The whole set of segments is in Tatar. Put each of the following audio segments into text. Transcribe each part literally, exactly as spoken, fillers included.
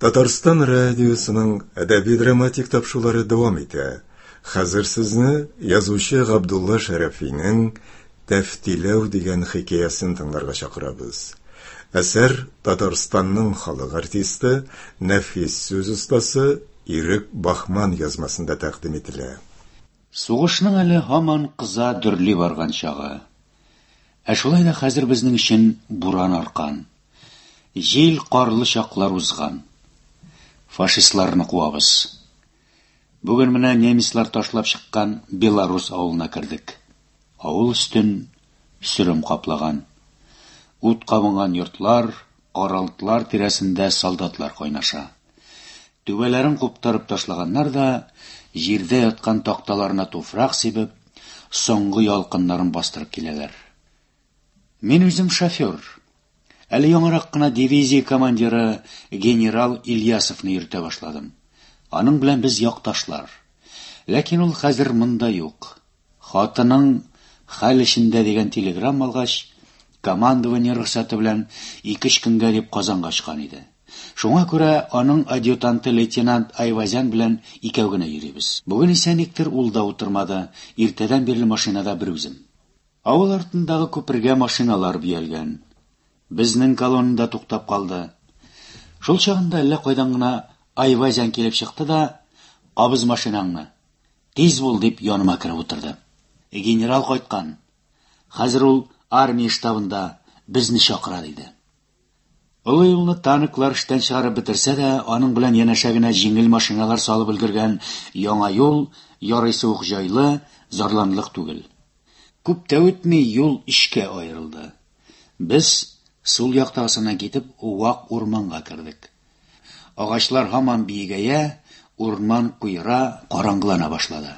Татарстан радиосының әдәби-драматик тапшырулары дәвам итә. Хәзер сезне язучы Габдулла Шәрәфинең Тәфтиләү дигән хикәясен тыңларга чакырабыз. Әсәр Татарстанның халык артисты, нәфис сүз остасы Ирек Бахман язмасында тәкъдим ителә. Сугышның әле һаман кыза дөрли барган чагы. Ә шулай да хәзер безнең өчен буран аркан. Җил карлы чаклар узган. Фашистларны куабыз. Бүген менә немецлар ташлап чыккан Белорус авылына кердек. Авыл өстен сөрем каплаган. Ут кабынган йортлар, каралтылар тирәсендә солдатлар кайнаша. Түбәләрен куптарып ташлаганнар да, җирдә яткан такталарына туфрак сибеп, соңгы ялкыннарын бастырып киләләр. Мин үзем шофер. Әле яңарак кына дивизия командиры генерал Ильясовны йөртә башладым. Аның белән без якташлар. Ләкин ул хәзер монда юк. Хатының хәл эчендә дигән телеграмма алгач, командование рөхсәте белән ике-өч көнгә дип Казанга очкан иде. Шуңа күрә аның адъютанты лейтенант Айвазян белән икәү генә йөрибез. Бүген исә никтер ул да утырмады, иртәдән бирле машинада бер үзем. Авыл артындагы күпергә машиналар бөялгән. Безнең колоннада туктап калды. Шул чагында әллә кайдан гына Айвазян килеп чыкты да, "Кабыз машинаңны, тиз бул", дип яныма кереп утырды. Генерал кайткан. Хәзер ул армия штабында безне чакыра, диде. Олы юлны танклар эштән чыгарып бетерсә дә, аның белән янәшә генә җиңел машиналар салып өлгергән яңа юл ярыйсы ук җайлы, зарланырлык түгел. Күп тә үтми юл өчкә аерылды. Без сул яктагысыннан китеп вак урманга кердек. Агачлар һаман биегәя, урман куера, караңгылана башлады.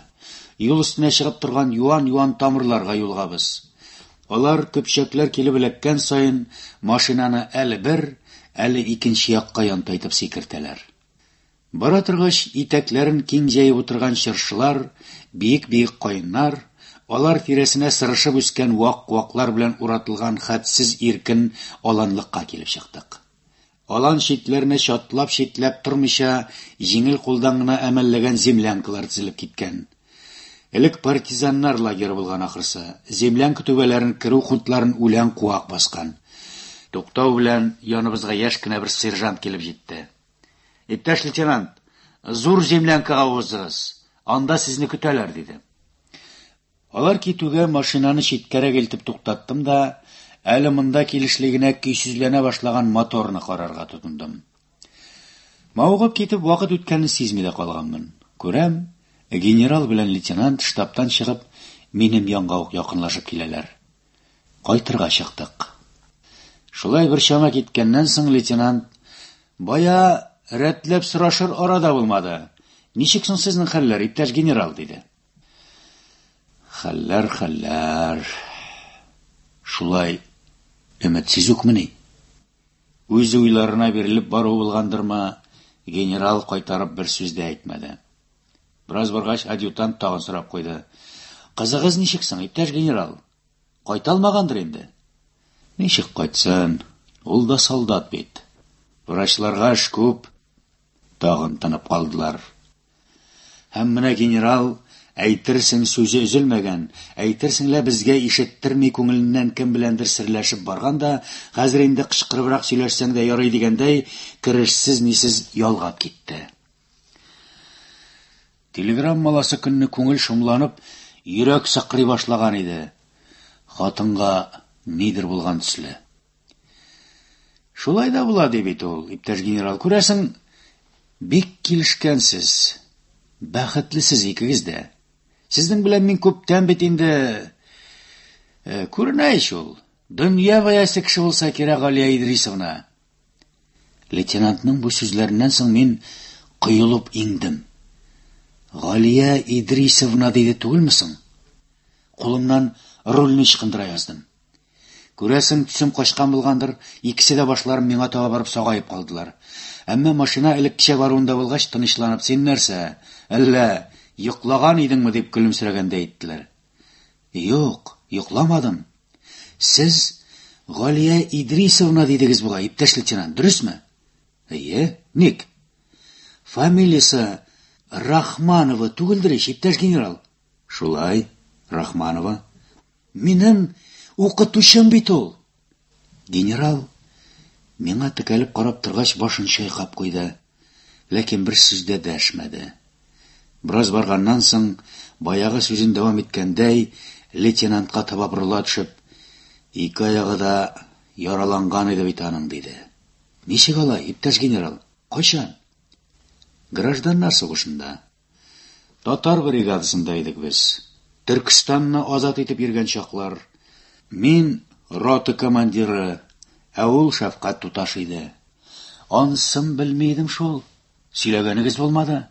Юл өстенә чыгып торган юан-юан тамырларга юлыгабыз. Алар көпчәкләр килеп эләккән саен машинаны әле бер, әле икенче якка янтайтып сикертәләр. Бара торгач, итәкләрен киң җәеп утырган чыршылар, биек-биек каеннар, алар тирәсенә сырышып үскән вак куаклар белән уратылган хәтсез иркен аланлыкка килеп чыктык. Алан читләренә чатлап-читләп тормыйча, җиңел кулдан гына әмәлләгән землянкалар тезелеп киткән. Элек партизаннар лагеры булган ахрысы. Землянка түбәләрен керү хутларын үлән куак баскан. Туктау белән яныбызга яшь кенә бер сержант килеп җитте. "Иптәш лейтенант, зур землянкага узыгыз. Анда сезне көтәләр", диде. Алар китүгә машинаны читкәрәк илтеп туктаттым да, әле монда килешле генә көйсезләнә башлаган моторны карарга тотындым. Мавыгып китеп вакыт үткәнен сизми дә калганмын. Күрәм, генерал белән лейтенант штабтан чыгып, минем янга ук якынлашып киләләр. Кайтырга чыктык. Шулай бер чама киткәннән соң лейтенант: "Бая рәтләп сорашыр арада булмады. Ничек соң сезнең хәлләр, иптәш генерал?" диде. Хәлләр, хәлләр. Шулай өметсез үкмени? Үз уйларына бирелеп бару булгандырмы, генерал кайтарып бер сүз дә әйтмәде. Бераз баргач, адъютант тагын сорап куйды: "Кызыгыз ничек соң, иптәш генерал? Кайта алмагандыр инде?" "Ничек кайтсын? Ул да солдат бит. Врачларга эш күп." Тагын тынып калдылар. Һәм менә генерал, әйтерсең сүзе өзелмәгән, әйтерсең лә безгә ишеттерми күңеленнән кем беләндер серләшеп барган да, хәзер инде кычкырыбрак сөйләшсәң дә ярый дигәндәй, керешсез-нисез ялгап китте. Телеграммаласы көнне күңел шомланып, йөрәк сыкрый башлаган иде. Хатынга нидер булган төсле. Шулай да була ди бит ул, иптәш генерал. Күрәсең, бик килешкәнсез. Бәхетлесез икегез дә. Сезнең белән мин күптән бит инде, э, күренә ич ул. Дөнья бәясе кеше булса кирәк, Галия Идрисовна. Лейтенантның бу сүзләреннән соң мин коелып иңдем. Галия Идрисовна диде түгелме соң? Кулымнан рульне ычкындыра яздым. Күрәсең, төсем качкан булгандыр, икесе дә башларын миңа таба барып сагаеп калдылар. Әмма машина элеккечә баруында булгач, тынычланып, "Син нәрсә, әллә йоклаган идеңме?" дип көлемсерәгәндәй иттеләр. "Юк, йокламадым. Сез Галия Идрисовна дидегез бугай, иптәш лейтенант, дөресме?" "Әйе, ник?" Фамилиясе Рахманова түгелдер ич, иптәш генерал? Шулай, Рахманова. Минем укытучым бит ул. Генерал миңа текәлеп карап торгач башын чайкап куйды, ләкин бер сүз дә дәшмәде. Бераз барганнан соң, баягы сүзен дәвам иткәндәй, лейтенантка таба борыла төшеп, ике аягы да яраланган иде бит аның, диде. Ничек алай, иптәш генерал? Кайчан? Гражданнар сугышында. Татар бригадасында идек без. Төркестанны азат итеп йөргән чаклар. Мин рота командиры, ә ул шәфкать туташы иде. Анысын белми идем шул. Сөйләгәнегез булмады.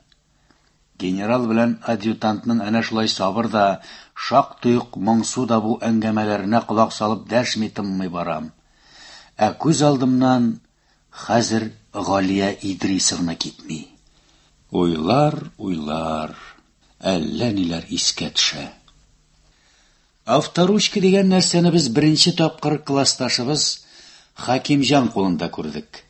Генерал белән адъютантның әнә шулай сабыр да, шактый ук моңсу да бу әңгәмәләренә колак салып дәшми тынмый барам. Ә күз алдымнан хәзер Галия Идрисовна китми. Уйлар, уйлар, әллә ниләр искә төшә. Авторучка дигән нәрсәне без беренче тапкыр классташыбыз Хакимҗан кулында күрдек.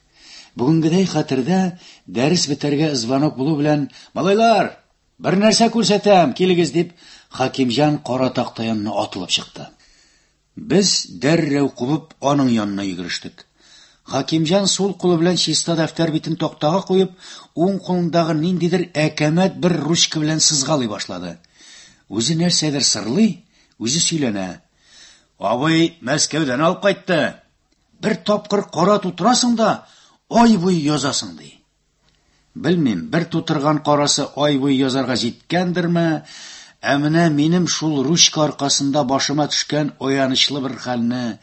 Бүгенгедәй хәтердә, дәрес бетәргә звонок булу белән «Малайлар, бер нәрсә күрсәтәм, килегез!» дип, Хакимҗан кара такта янына атылып чыкты. Без дәррәү кубып аның янына йөгерештек. Хакимҗан сул кулы белән чиста дәфтәр битен тактага куеп, уң кулындагы ниндидер әкәмәт бер ручка белән сызгалый башлады. Үзе нәрсәдер сырлый, үзе сөйләнә. «Абый Мәскәүдән алып кайтты. Бер тапкыр кара тутырасың да, ай буе язасың», ди. Белмим, бер тутырган карасы ай буе язарга җиткәндерме, ә менә минем шул ручка аркасында башыма төшкән аянычлы бер хәлне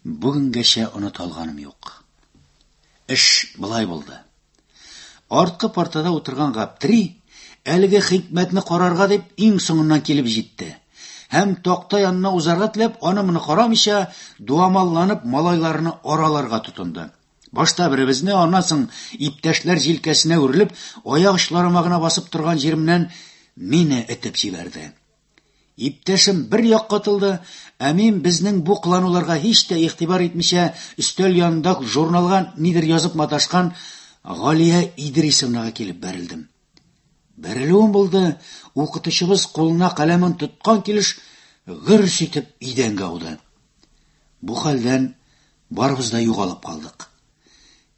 бүгенгәчә оныта алганым юк. Эш болай булды. Арткы партада утырган Гаптри әлеге хикмәтне карарга дип иң соңыннан килеп җитте. Һәм такта янына узарга теләп, аны моны карамыйча, дуамалланып малайларны араларга тотынды. Башта беребезне, аннан соң иптәшләр җилкәсенә үрелеп, аяк очларыма гына басып торган җиремнән мине этеп җибәрде. Иптәшем бер якка атылды, ә мин безнең бу кылануларга һич тә игътибар итмичә өстәл янында журналга нидер язып маташкан Галия Идрисовнага килеп бәрелдем. Бәрелүем булды, укытучыбыз кулына каләмен тоткан килеш гөрс итеп идәнгә ауды. Бу хәлдән барыбыз да югалып калдык.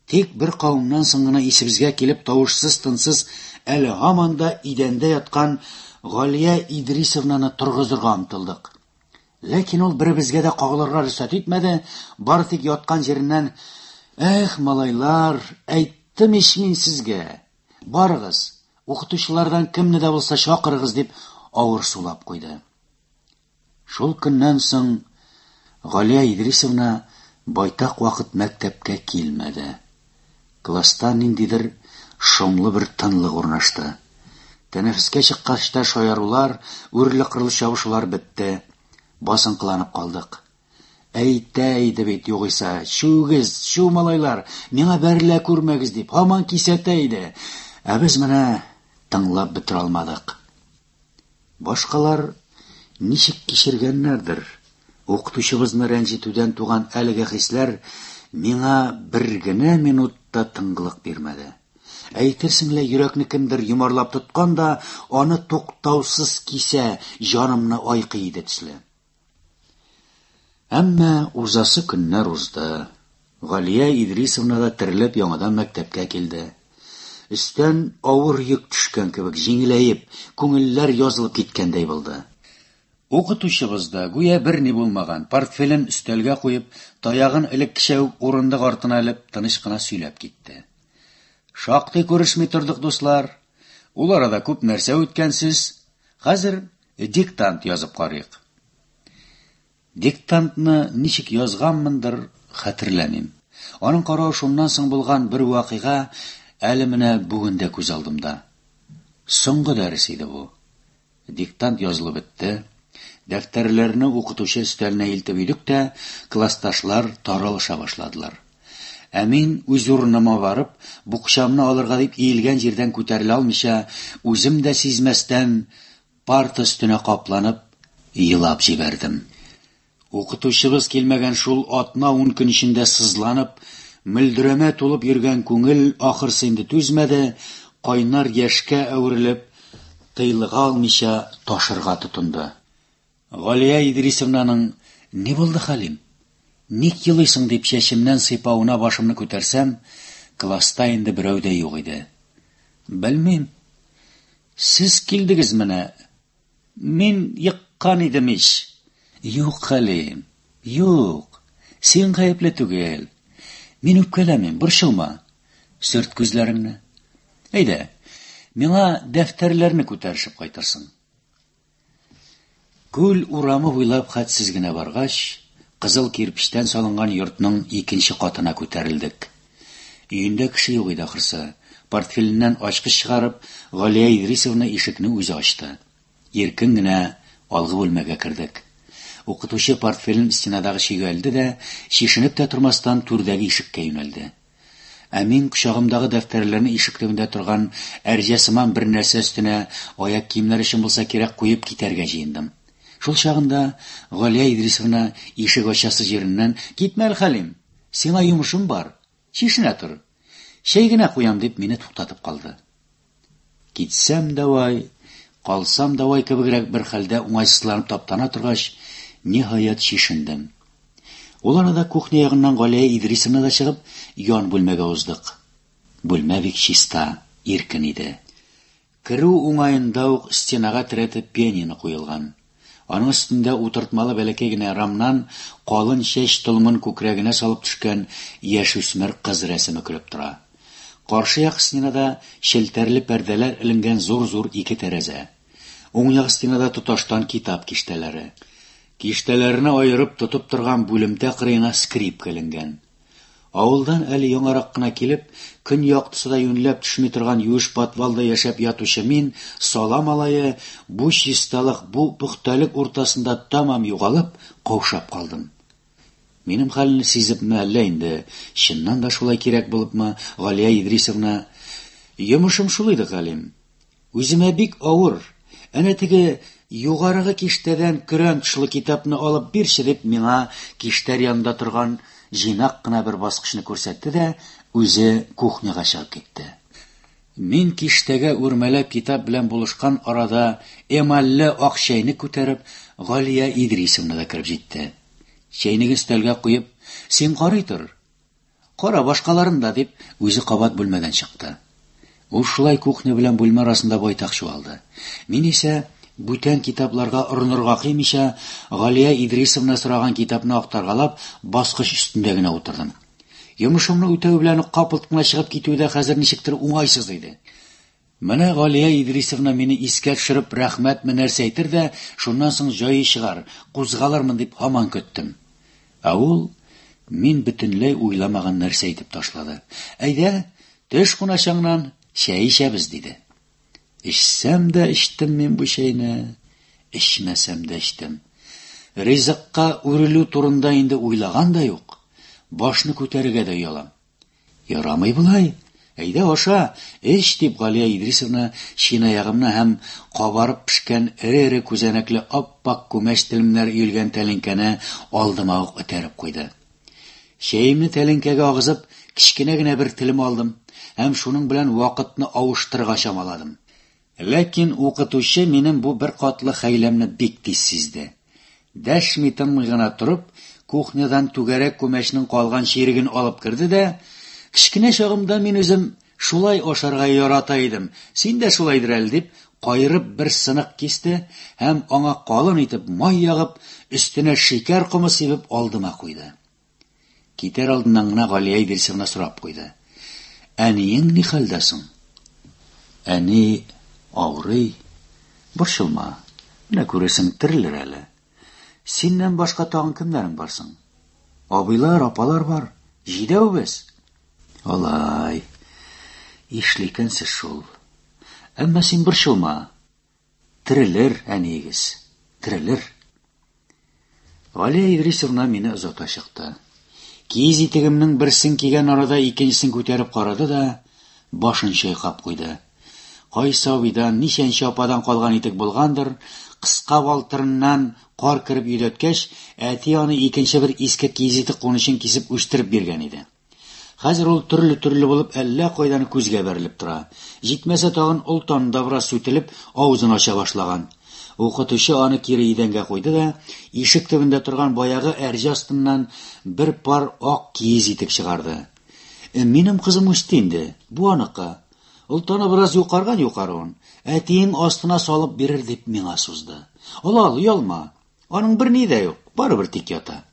Тик бер кавымнан соң гына исебезгә килеп тавышсыз-тынсыз әле һаман да идәндә яткан Галия Идрисовнаны торгызырга омтылдык. Ләкин ул беребезгә дә кагылырга рөхсәт итмәде, бары тик яткан җиреннән: «Эх, малайлар, әйттем ич мин сезгә. Барыгыз, укытучылардан кемне дә булса чакырыгыз», дип авыр сулап куйды. Шул көннән соң Галия Идрисовна байтак вакыт мәктәпкә килмәде. Класста ниндидер шомлы бер тынлык урнашты. Тәнәфескә чыккач та шаярулар, үрле-кырлы чабышулар бетте. Басынкыланып калдык. Әйтә иде бит югыйсә, чүгез, чү малайлар, миңа бәрелә күрмәгез дип, һаман кисәтә иде. Ә без менә тыңлап бетерә алмадык. Башкалар ничек кичергәннәрдер. Укытучыбызны рәнҗетүдән туган әлеге хисләр миңа бер генә минутта тынгылык бирмәде. Әйтерсең лә йөрәкне кемдер йомарлап тоткан да, аны туктаусыз кисә, җанымны айкый иде төсле. Әмма узасы көннәр узды. Галия Идрисовна да терелеп яңадан мәктәпкә килде. Өстән авыр йөк төшкән кебек җиңеләеп, күңелләр язылып киткәндәй булды. Укытучыбыз да гүя берни булмаган, портфелен өстәлгә куеп, таягын элеккечә үк урындык артына элеп, тыныч кына сөйләп китте. Шактый күрешми тордык, дуслар. Ул арада күп нәрсә үткәнсез. Хәзер диктант язып карыйк. Диктантны ничек язганмындыр, хәтерләмим. Аның каравы шуннан соң булган бер вакыйга әле менә бүген дә күз алдымда. Соңгы дәрес иде бу. Диктант язылып бетте. Дәфтәрләрне укытучы өстәленә илтеп өйдек тә, классташлар таралыша башладылар. Ә мин үз урыныма барып, букчамны алырга дип иелгән җирдән күтәрелә алмыйча, үзем дә сизмәстән парта өстенә капланып елап җибәрдем. Укытучыбыз килмәгән шул атна-ун көн эчендә сызланып, мөлдерәмә тулып йөргән күңел ахырсы инде түзмәде, кайнар яшькә әверелеп, тыйлыга алмыйча ташырга тотынды. Галия Идрисовнаның «Ни булды, Хәлим? Ник елыйсың?» дип чәчемнән сыйпавына башымны күтәрсәм, класста инде берәү дә юк иде. Белмим. Сез килдегез менә. Мин еккан идем ич. Юк, Хәлим, юк. Син гаепле түгел. Мин үпкәләмим, борчылма. Сөрт күзләреңне. Әйдә, миңа дәфтәрләрне күтәршеп кайтырсың. Күл урамы буйлап хәтсез генә баргач, кызыл кирпечтән салынган йортның икенче катына күтәрелдек. Өендә кеше юк иде ахрысы. Портфеленнән ачкыч чыгарып, Галия Идрисовна ишекне үзе ачты. Иркен генә алгы бүлмәгә кердек. Укытучы портфелен стенадагы чөйгә элде дә, чишенеп тә тормастан түрдәге ишеккә юнәлде. Ә мин кочагымдагы дәфтәрләрне ишек төбендә торган әрҗә сыман бер нәрсә өстенә аяк киемнәр өчен булса кирәк куеп китәргә җыендым. Шул чагында Галия Идрисовна ишек ачасы җиреннән: "Китмә әле, Хәлим, сиңа йомышым бар. Чишенә тор. Чәй генә куям", дип мине туктатып калды. Китсәм дә вай, калсам да вай кебегрәк бер хәлдә уңайсызланып таптана торгач, ниһаять чишендем. Ул арада кухня ягыннан Галия Идрисовна да чыгып, ян бүлмәгә уздык. Бүлмә бик чиста, иркен иде. Керү уңаенда ук стенага терәтеп пианино куелган. Аның өстендә утыртмалы бәләкәй генә рамнан калын чәч толымын күкрәгенә салып төшкән яшүсмер кыз рәсеме көлеп тора. Каршы як стенада челтәрле пәрдәләр эленгән зур-зур ике тәрәзә. Уң як стенада тоташтан китап киштәләре. Киштәләрне аерып тотып торган бүлемтә кырыена скрипка эленгән. Авылдан әле яңарак кына килеп, көн яктысы да юньләп төшми торган юеш подвалда яшәп ятучы мин, сала малае, бу чисталык, бу пөхтәлек уртасында тәмам югалып, каушап калдым. Минем хәлне сизепме әллә инде, чыннан да шулай кирәк булыпмы, Галия Идрисовна: "Йомышым шул иде, Хәлим. Үземә бик авыр. Әнә теге югарыгы киштәдән көрән тышлы китапны алып бирче", дип миңа киштәр янында торган җыйнак кына бер баскычны күрсәтте дә, үзе кухняга чыгып китте. Мин киштәгә үрмәләп китап белән булышкан арада эмальле ак чәйне күтәреп, Галия Идрисовна да кереп җитте. Чәйнеген өстәлгә куеп: "Син карый тор. Кара башкаларын да", дип, үзе кабат бүлмәдән чыкты. Ул шулай кухня белән бүлмә арасында байтак чуалды. Мин исә бүтән китапларга орынырга кыймыйча, Галия Идрисовна сораган китапны актаргалап, баскыч өстендә генә утырдым. Йомышымны үтәү белән үк капылт кына чыгып китү дә хәзер ничектер уңайсыз иде. Менә Галия Идрисовна мине искә төшереп рәхмәтме нәрсә әйтер дә, шуннан соң җае чыгар, кузгалырмын дип һаман көттем. Ә ул мин бөтенләй уйламаган нәрсә әйтеп ташлады. "Әйдә, төш куначаңнан, чәй эчәбез", диде. Эчсәм дә эчтем мин бу чәйне, эчмәсәм дә эчтем. Ризыкка үрелү турында инде уйлаган да юк. Башны күтәрергә дә оялам. Ярамый болай. Әйдә аша, эч, дип Галия Идрисовна чынаягымны һәм кабарып пешкән эре-эре күзәнәкле ап-ак күмәч телемнәре өелгән тәлинкәне алдыма ук этәреп куйды. Чәемне тәлинкәгә агызып, кечкенә генә бер телем алдым һәм шуның белән вакытны авыштырырга чамаладым. Ләкин укытучы минем бу бер катлы хәйләмне бик тиз сизде. Дәшми тынмый гына торып, кухнядан түгәрәк күмәчнең калган чиреген алып керде дә: "Кечкенә чагымда мин үзем шулай ашарга ярата идем, син дә шулайдыр әле", дип, каерып бер сынык кисте һәм аңа калын итеп май ягып, өстенә шикәр комы сибеп алдыма куйды. Китәр алдыннан гына Галия Идрисовна сорап куйды: "Әниең ни хәлдә соң?" "Әни авырый. Борчылма. Менә күрерсең, терелер әле. Синнән башка тагын кемнәрең бар соң? Абыйлар, апалар бар. Җидәү без." "Алай. Ишле икәнсез шул. Әмма син борчылма. Терелер әниегез. Терелер." Галия Идрисовна мине озата чыкты. Киез итегемнең берсен кигән арада икенчесен күтәреп карады да, башын чайкап куйды. Кайсы абыйдан, ничәнче ападан калган итек булгандыр, кыска балтырыннан кар кереп йөдәткәч, әти аны икенче бер иске киез итек кунычын кисеп үстереп биргән иде. Хәзер ул төрле-төрле булып әллә кайдан күзгә бәрелеп тора. Җитмәсә тагын олтаны да бераз сүтелеп, авызын ача башлаган. Укытучы аны кире идәнгә куйды да, ишек төбендә торган баягы әрҗә астыннан бер пар ак киез итек чыгарды. «Минем кызым үсте инде, бу аныкы. Олтаны бераз юкарган юкаруын, әтиең астына салып бирер», дип миңа сузды. «Ал, ал, оялма. Аның берни дә юк, барыбер тик ята».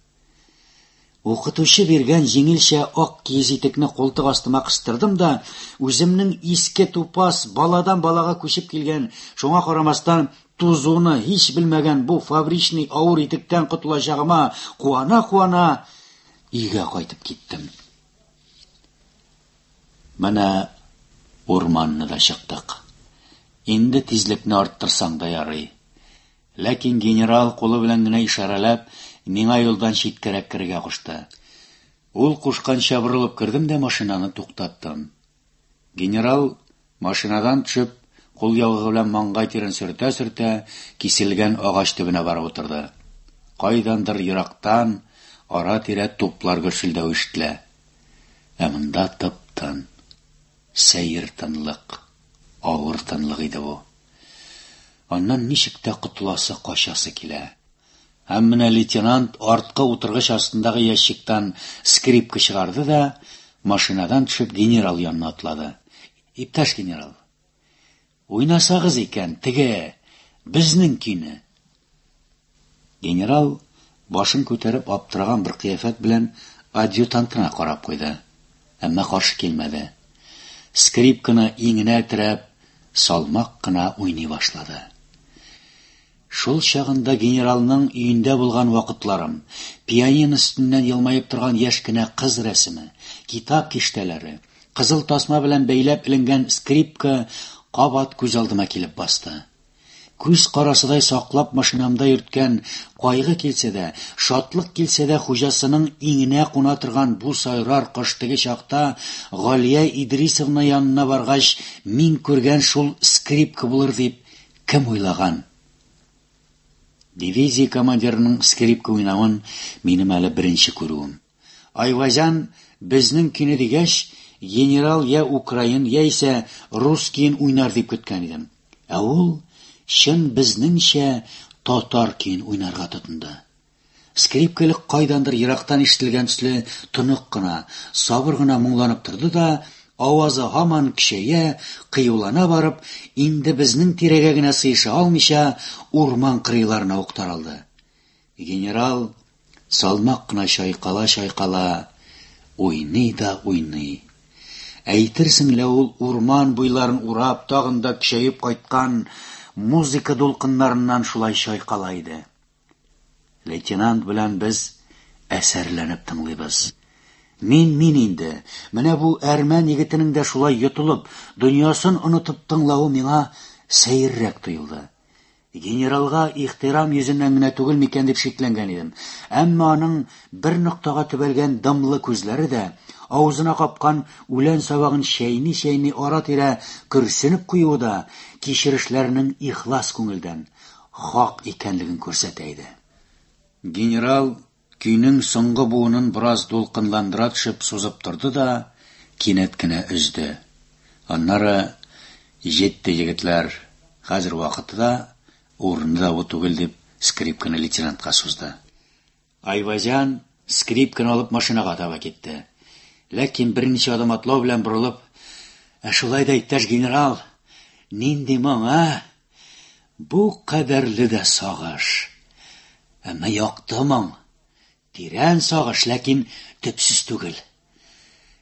Укытучы биргән җиңелчә ак киез итекне култык астыма кыстырдым да, үземнең иске тупас, баладан балага күчеп килгән, шуңа карамастан тузуны һич белмәгән бу фабричный авыр итектән котылачагыма куана-куана өйгә кайтып киттем. Менә урманны да чыктык. Инде тизлекне арттырсаң да ярый. Ләкин генерал кулы белән генә ишарәләп, миңа юлдан читкәрәк керергә кушты. Ул кушканча борылып кердем дә машинаны туктаттым. Генерал машинадан төшеп, кул яулыгы белән маңгай тирен сөртә-сөртә, киселгән агач төбенә барып утырды. Кайдандыр ерактан ара-тирә туплар гөрселдәве ишетелә. Ә монда тып-тын, сәер тынлык, авыр тынлык иде бу. Аннан ничек тә котыласы, качасы килә. Һәм менә лейтенант арткы утыргыч астындагы ящиктан скрипка чыгарды да, машинадан төшеп генерал янына атлады. «Иптәш генерал, уйнасагыз икән теге безнең көйне». Генерал башын күтәреп аптыраган бер кыяфәт белән адъютантына карап куйды, әмма каршы килмәде. Скрипканы иңенә терәп, салмак кына уйный башлады. Шул чагында генералның өендә булган вакытларым, пианино өстеннән елмаеп торган яшь кенә кыз рәсеме, китап киштәләре, кызыл тасма белән бәйләп эленгән скрипка кабат күз алдыма килеп басты. Күз карасыдай саклап машинамда йөрткән, кайгы килсә дә, шатлык килсә дә хуҗасының иңенә куна торган бу сайрар кош теге чакта Галия Идрисовна янына баргач, мин күргән шул скрипка булыр дип кем уйлаган? Дивизия командирының скрипка уйнавын минем әле беренче күрүем. Айвазян безнең көйне дигәч, генерал я украин, яисә рус көен уйнар дип көткән идем. Ә ул чын безнеңчә татар көен уйнарга тотынды. Скрипка элек кайдандыр ерактан ишетелгән төсле тонык кына, сабыр гына моңланып торды да, авазы һаман көчәя, кыюлана барып, инде безнең тирәгә генә сыеша алмыйча, урман кырыйларына ук таралды. Генерал салмак кына чайкала-чайкала уйный да уйный. Әйтерсең лә ул урман буйларын урап, тагын да көчәеп кайткан музыка дулкыннарыннан шулай чайкала иде. Лейтенант белән без әсәрләнеп тыңлыйбыз. Мин мин инде, менә бу әрмән егетенең дә шулай йотылып, дөньясын онытып тыңлавы миңа сәеррәк тоелды. Генералга ихтирам йөзеннән генә түгел микән дип шикләнгән идем. Әмма аның бер ноктага төбәлгән дымлы күзләре дә, авызына капкан үлән сабагын чәйни-чәйни ара-тирә көрсенеп куюы да кичерешләренең ихлас күңелдән, хак икәнлеген күрсәтә иде. Генерал көйнең соңгы буынын бераз дулкынландыра төшеп сузып торды да, кинәт кенә өзде. Аннары: «Җитте, егетләр, хәзер вакыты да, урыны да бу түгел», дип скрипканы лейтенантка сузды. Айвазян скрипканы алып машинага таба китте. Ләкин берничә адым атлау белән борылып: «Ә шулай да, иптәш генерал, нинди моң, а? Бу кадәрле дә сагыш. Әмма якты моң. Тирән сагыш, ләкин төпсез түгел.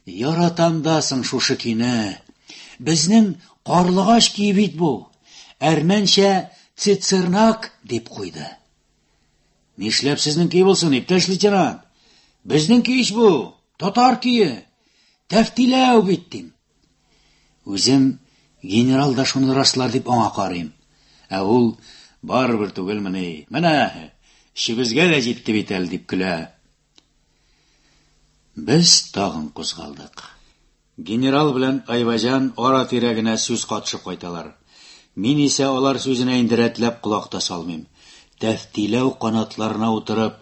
Яратам да соң шушы көйне. Безнең карлыгач көе бит бу. Әрмәнчә цицернак», дип куйды. «Нишләп сезнең көй булсын, иптәш лейтенант? Безнең көй ич бу, татар көе. Тәфтиләү бит», дим. Үзем генерал да шуны раслар дип аңа карыйм. Ә ул: «Барыбер түгелмени? Менә эшебезгә дә җитте бит әле», дип көлә. Без тагын кузгалдык. Генерал белән Айвазян ара-тирә генә сүз катышып кайталар. Мин исә алар сүзенә инде рәтләп колак та салмыйм. Тәфтиләү канатларына утырып,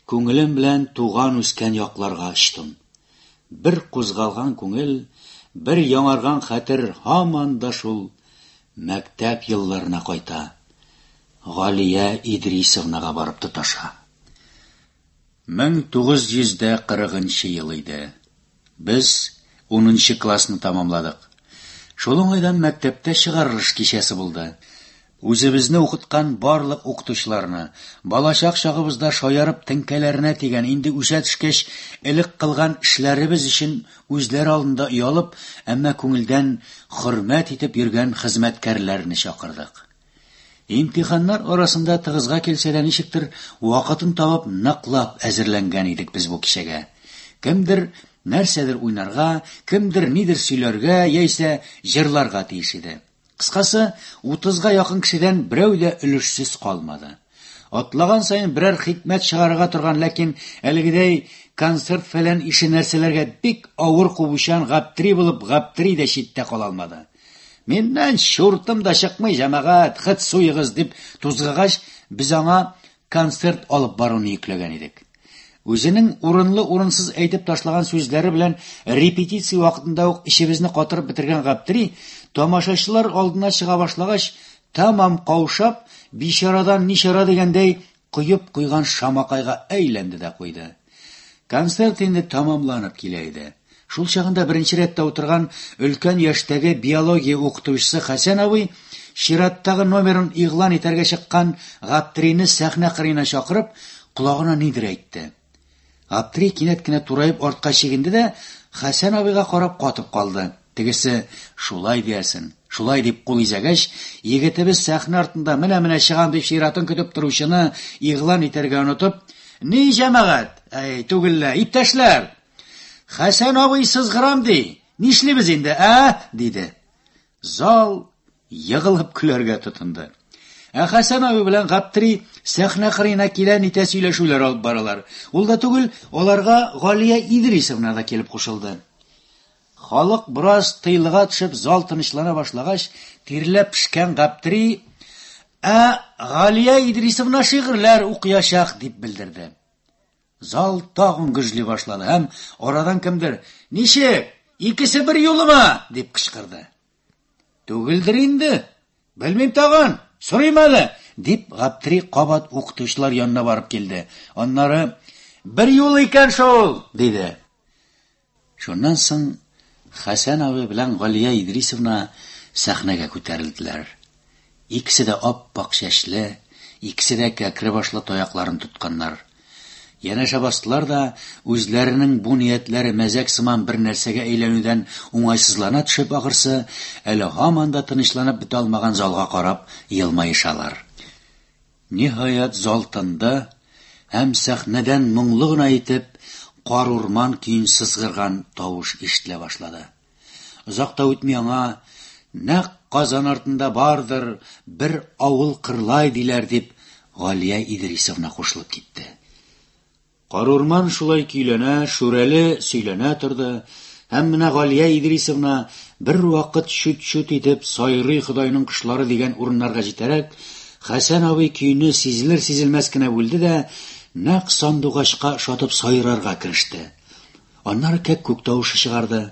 күңелем белән туган үскән якларга очтым. Бер кузгалган күңел, бер яңарган хәтер һаман да шул мәктәп елларына кайта. Галия Идрисовнага барып тоташа. Мең тугыз йөз дә кырыгынчы ел иде. Без унынчы классны тамамладык. Шул уңайдан мәктәптә чыгарылыш кичәсе булды. Үзебезне укыткан барлык укытучыларны, балачак чагыбызда шаярып теңкәләренә тигән, инде үсә төшкәч элек кылган эшләребез өчен үзләре алдында оялып, әмма күңелдән хөрмәт итеп йөргән хезмәткәрләрне чакырдык. Имтиханнар арасында тыгызга килсә дә ничектер вакытын табып ныклап әзерләнгән идек без бу кичәгә. Кемдер нәрсәдер уйнарга, кемдер нидер сөйләргә яисә җырларга тиеш иде. Кыскасы, утызга якын кешедән берәү дә өлешсез калмады. Атлаган саен берәр хикмәт чыгарырга торган, ләкин әлегедәй концерт фәлән ише нәрсәләргә бик авыр кубучан Гаптри булып Гаптри дә читтә кала алмады. Миннән чуртым да чыкмый, җәмәгать, хет суегыз дип тузгыгач, без аңа концерт алып баруны йөкләгән идек. Үзенең урынлы-урынсыз әйтеп ташлаган сүзләре белән репетиция вакытында ук эчебезне катырып бетергән Гаптри, тамашачылар алдына чыга башлагач, тамам каушап, бичарадан ничара дигәндәй коеп куйган шамакайга әйләнде дә куйды. Концерт инде тамамланып килә иде. Шул чагында беренче рәттә утырган өлкән яшьтәге биология укытучысы Хәсән абый чираттагы номерын игълан итәргә чыккан Гаптрины сәхнә кырыена чакырып, колагына нидер әйтте. Гаптри кинәт кенә тураеп артка чигенде дә Хәсән абыйга карап катып калды. Тегесе шулай диясен, шулай дип кул изәгәч, егетебез сәхнә артында менә-менә чыгам дип чиратын көтеп торучыны игълан итәргә онытып, "Ни җәмәгать, әй, түгел лә, иптәшләр! Хәсән абый сызгырам ди. Нишлибез инде, ә?" диде. Зал егылып көләргә тотынды. Ә Хәсән абый белән Гаптри сәхнә кырыена килә нитә сөйләшүләр алып баралар. Ул да түгел, аларга Галия Идрисовна да килеп кушылды. Халык бераз тыйлыга төшеп, зал тынычлана башлагач, тирләп пешкән Гаптри, "Ә Галия Идрисовна шигырьләр укыячак" дип белдерде. Зал тагын гөжли башлады һәм арадан кемдер, "Ничек? Икесе бер юлымы?" дип кычкырды. "Түгелдер инде. Белмим тагын. Сорыйм әле", дип Гаптри кабат укытучылар янына барып килде. Аннары, "Бер юл икән шул", диде. Шуннан соң Хәсән абый белән Галия Идрисовна сәхнәгә күтәрелделәр. Икесе дә ап-ак чәчле, икесе дә кәкре башлы таякларын тотканнар. Янәшә бастылар да, үзләренең бу ниятләре мәзәк сыман бер нәрсәгә әйләнүдән уңайсызлана төшеп ахырсы, әле һаман да тынычланып бетә алмаган залга карап елмаешалар. Ниһаять, зал тынды һәм сәхнәдән моңлы гына итеп кар урман көен сызгырган тавыш ишетелә башлады. Озак та үтми аңа, "Нәкъ Казан артында бардыр бер авыл Кырлай диләр" дип Галия Идрисовна кушылып китте. Карурман шулай көйләнә, шүрәле сөйләнә торды, һәм менә Галия Идрисовна бер вакыт чүт-чүт итеп сайрый Ходайның кошлары дигән урыннарга җитәрәк, Хәсән абый көйне сизелер-сизелмәс кенә бүлде дә, нәкъ сандугачка ошатып сайрарга кереште. Аннары кәккүк тавышы чыгарды.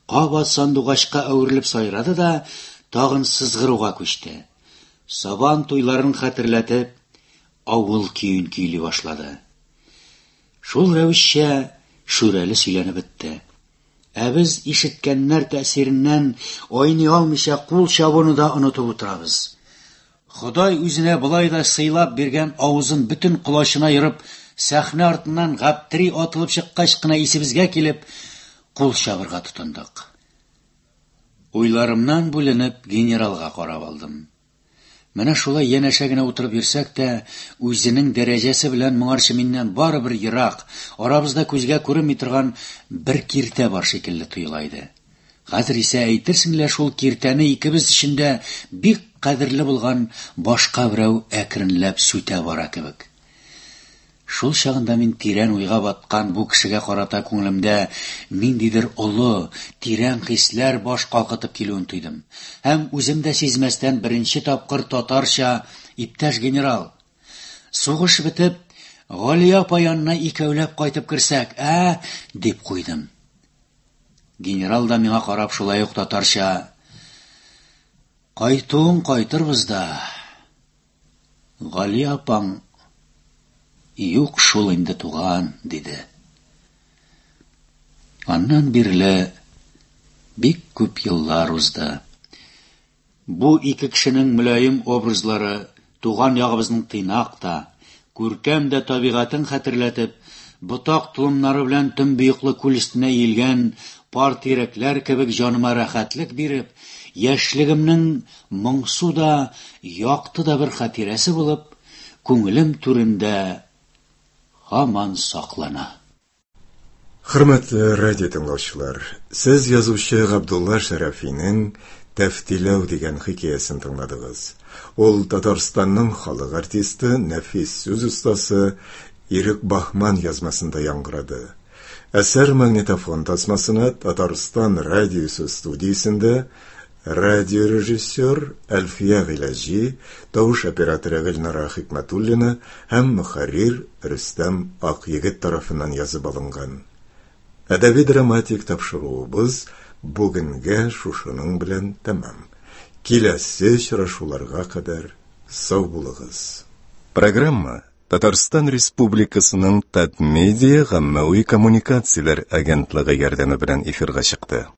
Кабат сандугачка әверелеп сайрады да, тагын сызгыруга күчте. Сабан туйларын хәтерләтеп, авыл көен көйли башлады. Шул рәвешчә шүрәле сөйләнеп бетте. Ә без ишеткәннәр тәэсиреннән айный алмыйча кул чабуны да онытып утырабыз. Ходай үзенә болай да сыйлап биргән авызын бөтен колачына ерып, сәхнә артыннан Гаптри атылып чыккач кына исебезгә килеп, кул чабырга тотындык. Уйларымнан бүленеп генералга карап алдым. Менә шулай янәшә генә утырып йөрсәк тә, үзенең дәрәҗәсе белән моңарчы миннән барыбер ерак, арабызда күзгә күренми торган бер киртә бар шикелле тоела иде. Хәзер исә әйтерсең лә шул киртәне икебез өчен дә бик кадерле булган башка берәү әкренләп сүтә бара кебек. Шул чагында мин тирән уйга баткан бу кешегә карата күңелемдә ниндидер олы, тирән хисләр баш калкытып килүен тойдым. Һәм үзем дә сизмәстән беренче тапкыр татарча, "Иптәш генерал, сугыш бетеп, Галия апа янына икәүләп кайтып керсәк, ә?" дип куйдым. Генерал да миңа карап шулай ук татарча: "Кайтуын кайтырбыз да, Гали апаң юк шул инде, туган", диде. Аннан бирле бик күп еллар узды. Бу ике кешенең мөлаем образлары туган ягыбызның тыйнак та, күркәм дә табигатен хәтерләтеп, ботак толымнары белән төнбоеклы күл өстенә иелгән пар тирәкләр кебек җаныма рәхәтлек биреп, яшьлегемнең моңсу да, якты да бер хатирәсе булып, күңелем түрендә һаман саклана. Хөрмәтле радио тыңлаучылар, сез язучы Габдулла Шәрәфинең Тәфтиләү дигән хикәясен тыңладыгыз. Ул Татарстанның халык артисты, нәфис сүз остасы Ирек Баһман язмасында яңгырады. Әсәр магнитофон тасмасына Татарстан радиосы студиясендә радиорежиссер Әлфия Гыйләҗи, тавыш операторы Гөлнара Хикмәтуллина һәм мөхәррир Рөстәм Акъегет тарафыннан язып алынган. Әдәби драматик тапшыруыбыз бүгенгә шушының белән тәмам. Киләсе очрашуларга кадәр сау булыгыз. Программа Татарстан Республикасының Татмедиа гаммәви коммуникацияләр агентлыгы ярдәме белән эфирга чыкты.